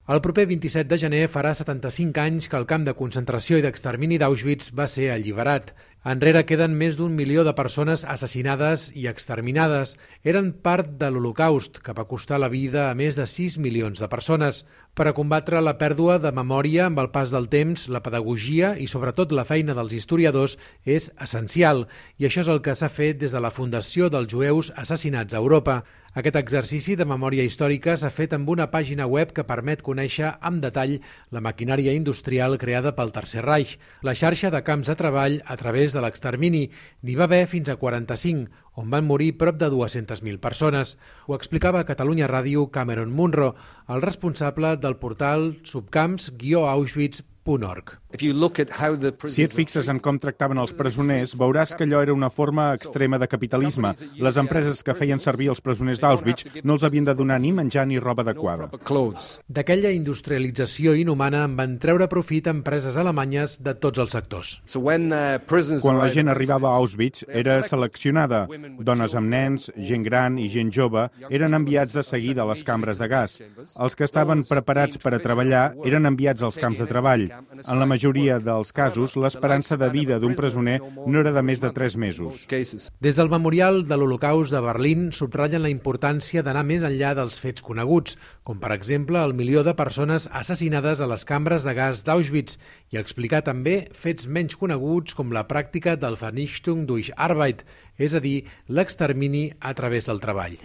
El proper 27 de gener farà 75 anys que el camp de concentració i d'extermini d'Auschwitz va ser alliberat. Enrere queden més d'1 milió de persones assassinades i exterminades. Eren part de l'Holocaust, que va costar la vida a més de 6 milions de persones. Per a combatre la pèrdua de memòria amb el pas del temps, la pedagogia i sobretot la feina dels historiadors és essencial. I això és el que s'ha fet des de la Fundació dels Jueus Assassinats a Europa. Aquest exercici de memòria històrica s'ha fet amb una pàgina web que permet conèixer amb detall la maquinària industrial creada pel Tercer Reich, la xarxa de camps de treball a través de l'extermini. N'hi va haver fins a 45, on van morir prop de 200.000 persones. Ho explicava a Catalunya Ràdio Cameron Munro, el responsable del portal subcamps-auschwitz.org. Si et fixes en com tractaven els presoners, veuràs que allò era una forma extrema de capitalisme. Les empreses que feien servir els presoners d'Auschwitz no els havien de donar ni menjar ni roba adequada. D'aquella industrialització inhumana en van treure profit empreses alemanyes de tots els sectors. Quan la gent arribava a Auschwitz, era seleccionada. Dones amb nens, gent gran i gent jove eren enviats de seguida a les cambres de gas. Els que estaven preparats per a treballar eren enviats als camps de treball. En la majoria dels casos, l'esperança de vida d'un presoner no era de més de 3 mesos. Des del Memorial de l'Holocaust de Berlín subratllen la importància d'anar més enllà dels fets coneguts, com per exemple el milió de persones assassinades a les cambres de gas d'Auschwitz, i explicar també fets menys coneguts com la pràctica del Vernichtung durch Arbeit, és a dir, l'extermini a través del treball.